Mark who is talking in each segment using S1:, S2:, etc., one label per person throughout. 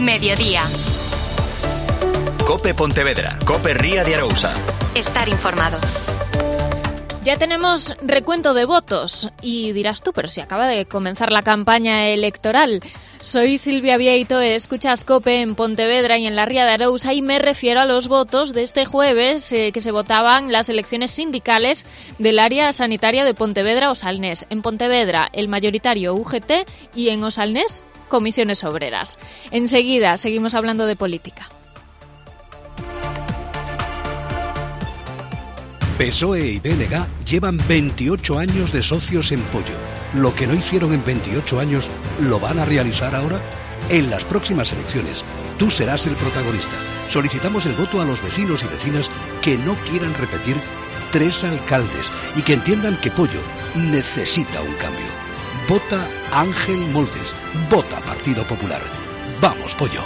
S1: Mediodía.
S2: COPE Pontevedra, COPE Ría de Arousa.
S1: Estar informado.
S3: Ya tenemos recuento de votos y dirás tú, pero si acaba de comenzar la campaña electoral. Soy Silvia Vieito, escuchas COPE en Pontevedra y en la Ría de Arousa y me refiero a los votos de este jueves que se votaban las elecciones sindicales del área sanitaria de Pontevedra Osalnés. En Pontevedra, el mayoritario UGT y en Osalnés, Comisiones Obreras. Enseguida seguimos hablando de política.
S4: PSOE y BNG llevan 28 años de socios en Pollo. Lo que no hicieron en 28 años, ¿lo van a realizar ahora? En las próximas elecciones, tú serás el protagonista. Solicitamos el voto a los vecinos y vecinas que no quieran repetir 3 alcaldes y que entiendan que Pollo necesita un cambio. Vota Ángel Moldes. Vota Partido Popular. ¡Vamos, Pollo!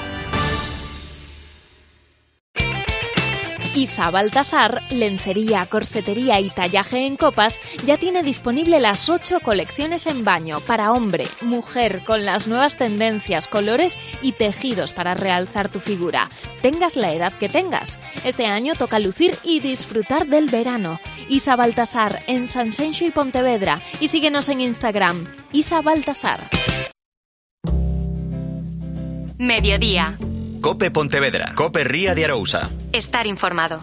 S3: Isa Baltasar, lencería, corsetería y tallaje en copas, ya tiene disponible las 8 colecciones en baño para hombre, mujer, con las nuevas tendencias, colores y tejidos para realzar tu figura. Tengas la edad que tengas. Este año toca lucir y disfrutar del verano. Isa Baltasar, en Sanxenxo y Pontevedra. Y síguenos en Instagram, Isa Baltasar.
S1: Mediodía.
S2: COPE Pontevedra, COPE Ría de Arousa.
S1: Estar informado.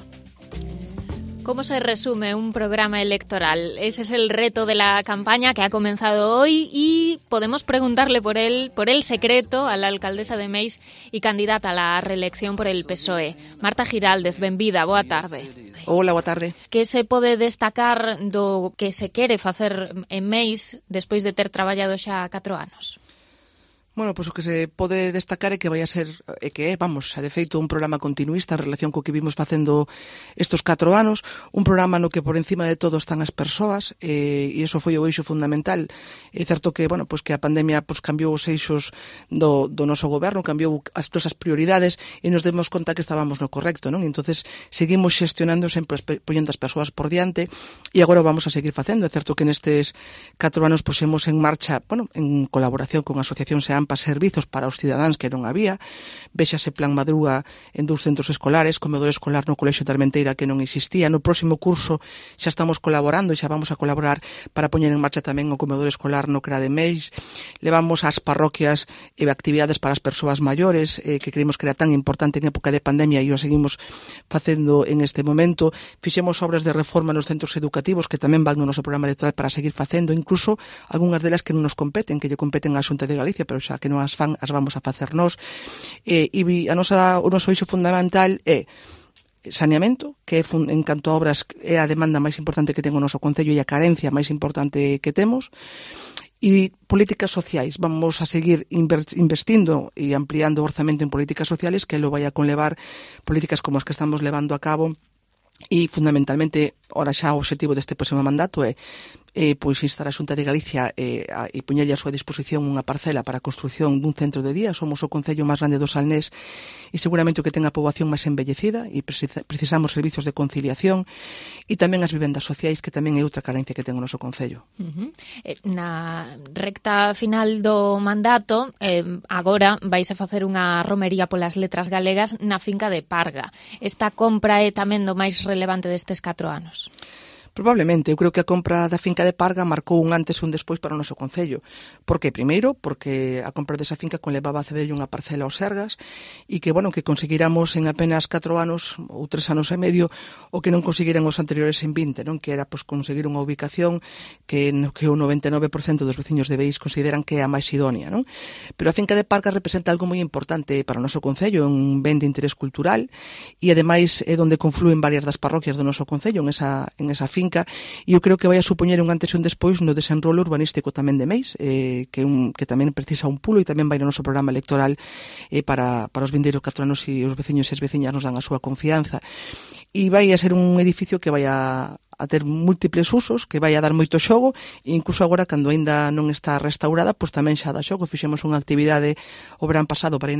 S3: ¿Cómo se resume un programa electoral? Ese es el reto de la campaña que ha comenzado hoy y podemos preguntarle por el secreto a la alcaldesa de Meis y candidata a la reelección por el PSOE. Marta Giraldez, benvida, boa tarde.
S5: Hola, boa tarde.
S3: Que se pode destacar do que se quere facer en Meis despois de ter traballado xa 4 anos?
S5: Bueno, pois o que se pode destacar é que vai a ser, de feito, un programa continuista en relación co que vimos facendo estes 4 anos, un programa no que por encima de todo están as persoas, e iso foi o eixo fundamental. É certo que, que a pandemia cambiou os eixos do noso goberno, cambiou as nosas prioridades e nos demos conta que estábamos no correcto, non? E entonces seguimos xestionando sempre poñendo as persoas por diante e agora vamos a seguir facendo. É certo que nestes 4 anos pusemos en marcha, en colaboración con asociacións e AMPA, servizos para os cidadáns que non había, véxase Plan Madruga en 2 centros escolares, comedor escolar no Colexio de Armenteira que non existía. No próximo curso xa estamos colaborando e xa vamos a colaborar para poñer en marcha tamén o comedor escolar no CRA de Meis. Levamos ás parroquias actividades para as persoas maiores que creemos que era tan importante en época de pandemia e o seguimos facendo en este momento. Fixemos obras de reforma nos centros educativos que tamén van no noso programa electoral para seguir facendo, incluso algunhas delas que non nos competen, que lle competen á Xunta de Galicia, pero xa que non as fan, as vamos a facer nós. E o noso eixo fundamental é saneamento, que en canto a obras é a demanda máis importante que ten o noso concello e a carencia máis importante que temos. E políticas sociais, vamos a seguir investindo e ampliando o orzamento en políticas sociales que lo vai a conlevar políticas como as que estamos levando a cabo. E fundamentalmente, ora xa o obxectivo deste próximo mandato é instar a Xunta de Galicia e poñerlle a súa disposición unha parcela para a construción dun centro de día. Somos o concello máis grande do Salnés e seguramente o que ten a poboación máis envellecida e precisamos servizos de conciliación e tamén as vivendas sociais, que tamén é outra carencia que ten o noso concello.
S3: Na recta final do mandato, agora vais a facer unha romería polas letras galegas na finca de Parga. Esta compra é tamén do máis relevante destes 4 anos.
S5: Probablemente, eu creo que a compra da finca de Parga marcou un antes e un despois para o noso concello. Por que? Primeiro, porque a compra desa finca conlevaba a cederlle unha parcela aos Sergas e que conseguiramos en apenas 4 anos ou 3 anos e medio o que non conseguiran os anteriores en 20, non? Que era conseguir unha ubicación que o 99% dos veciños de Beis consideran que é a máis idónea, non? Pero a finca de Parga representa algo moi importante para o noso concello, un ben de interés cultural e ademais é onde confluen varias das parroquias do noso concello en esa finca. E eu creo que vai a supoñer un antes e un despois no desenrolo urbanístico tamén de Meis, que tamén precisa un pulo e tamén vai no noso programa electoral para os vindeiros 4 anos e os veciños e as veciñas nos dan a súa confianza. E vai a ser un edificio que vai a ter múltiples usos, que vai a dar moito xogo e incluso agora, cando aínda non está restaurada, pois tamén xa dá xogo. Fixemos unha actividade o verán pasado para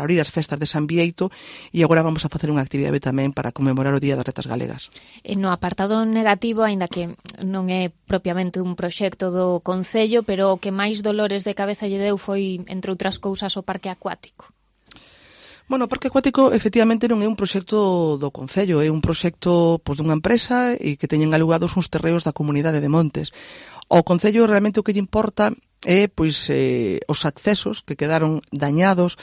S5: abrir as festas de San Bieito e agora vamos a facer unha actividade tamén para conmemorar o Día das Letras Galegas.
S3: No apartado negativo, aínda que non é propiamente un proxecto do Concello, pero o que máis dolores de cabeza lle deu foi, entre outras cousas, o parque acuático.
S5: Bueno, o Parque Acuático efectivamente non é un proxecto do Concello, é un proxecto dunha empresa e que teñen alugados uns terreos da comunidade de Montes. Ao Concello realmente o que lle importa é os accesos que quedaron dañados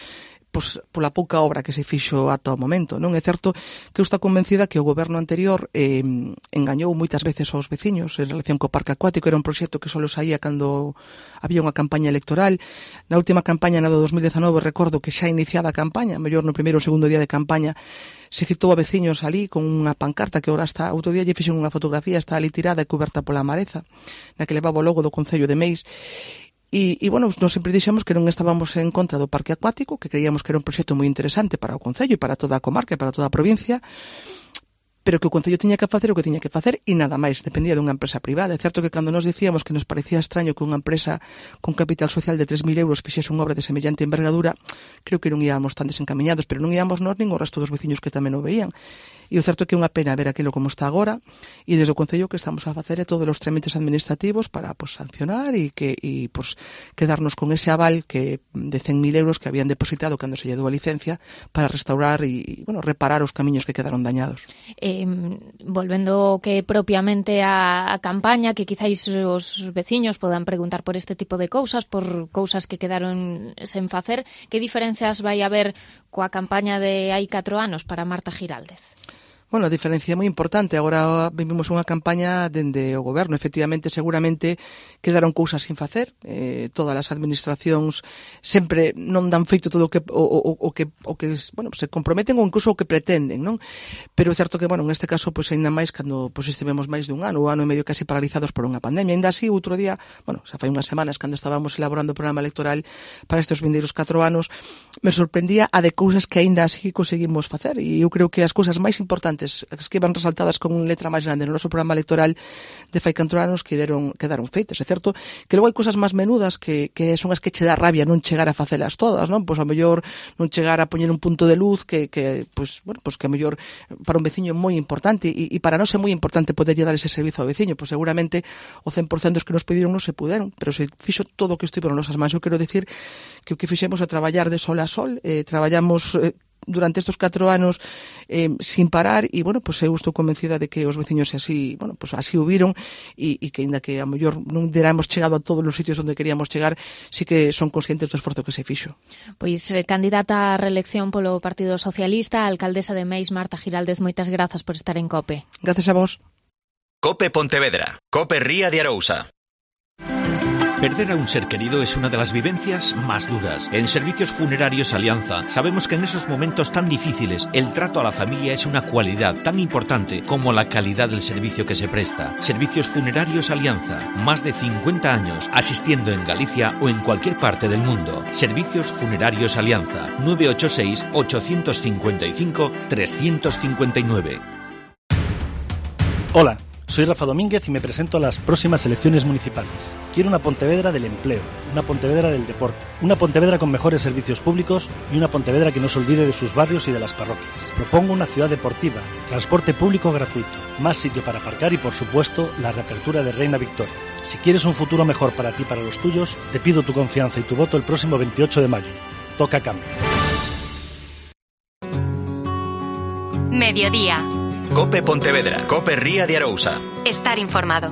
S5: pola pouca obra que se fixo ata o momento, non? É certo que eu estou convencida que o goberno anterior engañou moitas veces aos veciños en relación co Parque Acuático. Era un proxecto que só saía cando había unha campaña electoral. Na última campaña, na do 2019, recordo que xa iniciada a campaña, mellor no primeiro ou segundo día de campaña, se citou a veciños ali con unha pancarta que agora está, outro día lle fixen unha fotografía, está ali tirada e coberta pola mareza, na que levaba o logo do Concello de Meis. E bueno, nós sempre dixemos que non estábamos en contra do Parque Acuático, que creíamos que era un proxecto moi interesante para o Concello e para toda a comarca e para toda a provincia, pero que o Concello tiña que facer o que tiña que facer e nada máis, dependía dunha empresa privada. É certo que cando nos dicíamos que nos parecía extraño que unha empresa con capital social de 3.000 euros fixese unha obra de semellante envergadura, creo que non íamos tan desencaminhados, pero non íamos nós nin o resto dos veciños que tamén o veían. E o certo é que é unha pena ver aquilo como está agora, e desde o Concello que estamos a facer é todos os trámites administrativos para sancionar e quedarnos con ese aval que de 100.000 euros que habían depositado cando se lle dou a licencia para restaurar e reparar os camiños que quedaron dañados.
S3: Volvendo que propiamente a campaña, que quizáis os veciños podan preguntar por este tipo de cousas, por cousas que quedaron sen facer, que diferenzas vai haber coa campaña de hai 4 anos para Marta Giraldez?
S5: Bueno, a diferencia é moi importante. Agora vivimos unha campaña dende o goberno. Efectivamente, seguramente quedaron cousas sin facer. Todas as administracións sempre non dan feito todo o que se comprometen ou incluso o que pretenden, non? Pero é certo que, en este caso, ainda máis cando estivemos máis dun ano, o ano e medio casi paralizados por unha pandemia. Ainda así, outro día, xa fai unhas semanas, cando estábamos elaborando o programa electoral para estes vindeiros 4 anos, me sorprendía a de cousas que ainda así conseguimos facer. E eu creo que as cousas máis importantes, as que iban resaltadas con letra máis grande no noso programa electoral de fai 4 anos quedaron feitas. É certo que logo hai cousas máis menudas que son as que che dá rabia non chegar a facelas todas, non? Pois ao mellor non chegar a poñer un punto de luz que a mellor para un veciño é moi importante e para nós é moi importante poderlle dar ese servizo ao veciño. Pois seguramente o 100% dos que nos pediron non se puderon, pero se fixo todo o que estivo nas nosas mans. Eu quero dicir que o que fixemos é traballar de sol a sol, traballamos durante estes 4 anos sin parar e, eu estou convencida de que os veciños así o viron e que, ainda que a mellor non deramos chegado a todos os sitios onde queríamos chegar, sí que son conscientes do esforzo que se fixo.
S3: Pois, candidata a reelección polo Partido Socialista, a alcaldesa de Meis, Marta Giraldez, moitas grazas por estar en COPE.
S5: Gracias a vos.
S2: COPE Pontevedra. COPE Ría de Arousa.
S6: Perder a un ser querido es una de las vivencias más duras. En Servicios Funerarios Alianza sabemos que en esos momentos tan difíciles el trato a la familia es una cualidad tan importante como la calidad del servicio que se presta. Servicios Funerarios Alianza, más de 50 años asistiendo en Galicia o en cualquier parte del mundo. Servicios Funerarios Alianza, 986-855-359.
S7: Hola. Soy Rafa Domínguez y me presento a las próximas elecciones municipales. Quiero una Pontevedra del empleo, una Pontevedra del deporte, una Pontevedra con mejores servicios públicos y una Pontevedra que no se olvide de sus barrios y de las parroquias. Propongo una ciudad deportiva, transporte público gratuito, más sitio para aparcar y, por supuesto, la reapertura de Reina Victoria. Si quieres un futuro mejor para ti y para los tuyos, te pido tu confianza y tu voto el próximo 28 de mayo. Toca cambio.
S1: Mediodía.
S2: COPE Pontevedra. COPE Ría de Arousa.
S1: Estar informado.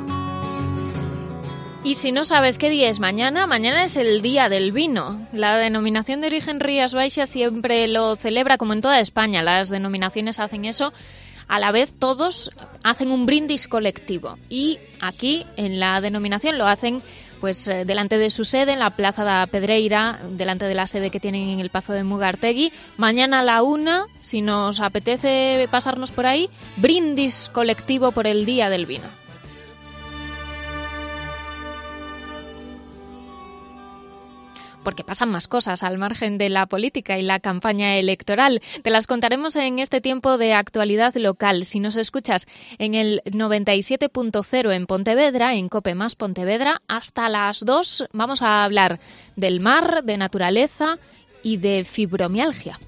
S3: Y si no sabes qué día es mañana, mañana es el Día del Vino. La denominación de origen Rías Baixas siempre lo celebra, como en toda España. Las denominaciones hacen eso. A la vez todos hacen un brindis colectivo. Y aquí, en la denominación, lo hacen delante de su sede, en la Plaza da Pedreira, delante de la sede que tienen en el Pazo de Mugartegui. Mañana a la 1, si nos apetece pasarnos por ahí, brindis colectivo por el Día del Vino. Porque pasan más cosas al margen de la política y la campaña electoral. Te las contaremos en este tiempo de actualidad local. Si nos escuchas en el 97.0 en Pontevedra, en COPE más Pontevedra, hasta las 2 vamos a hablar del mar, de naturaleza y de fibromialgia.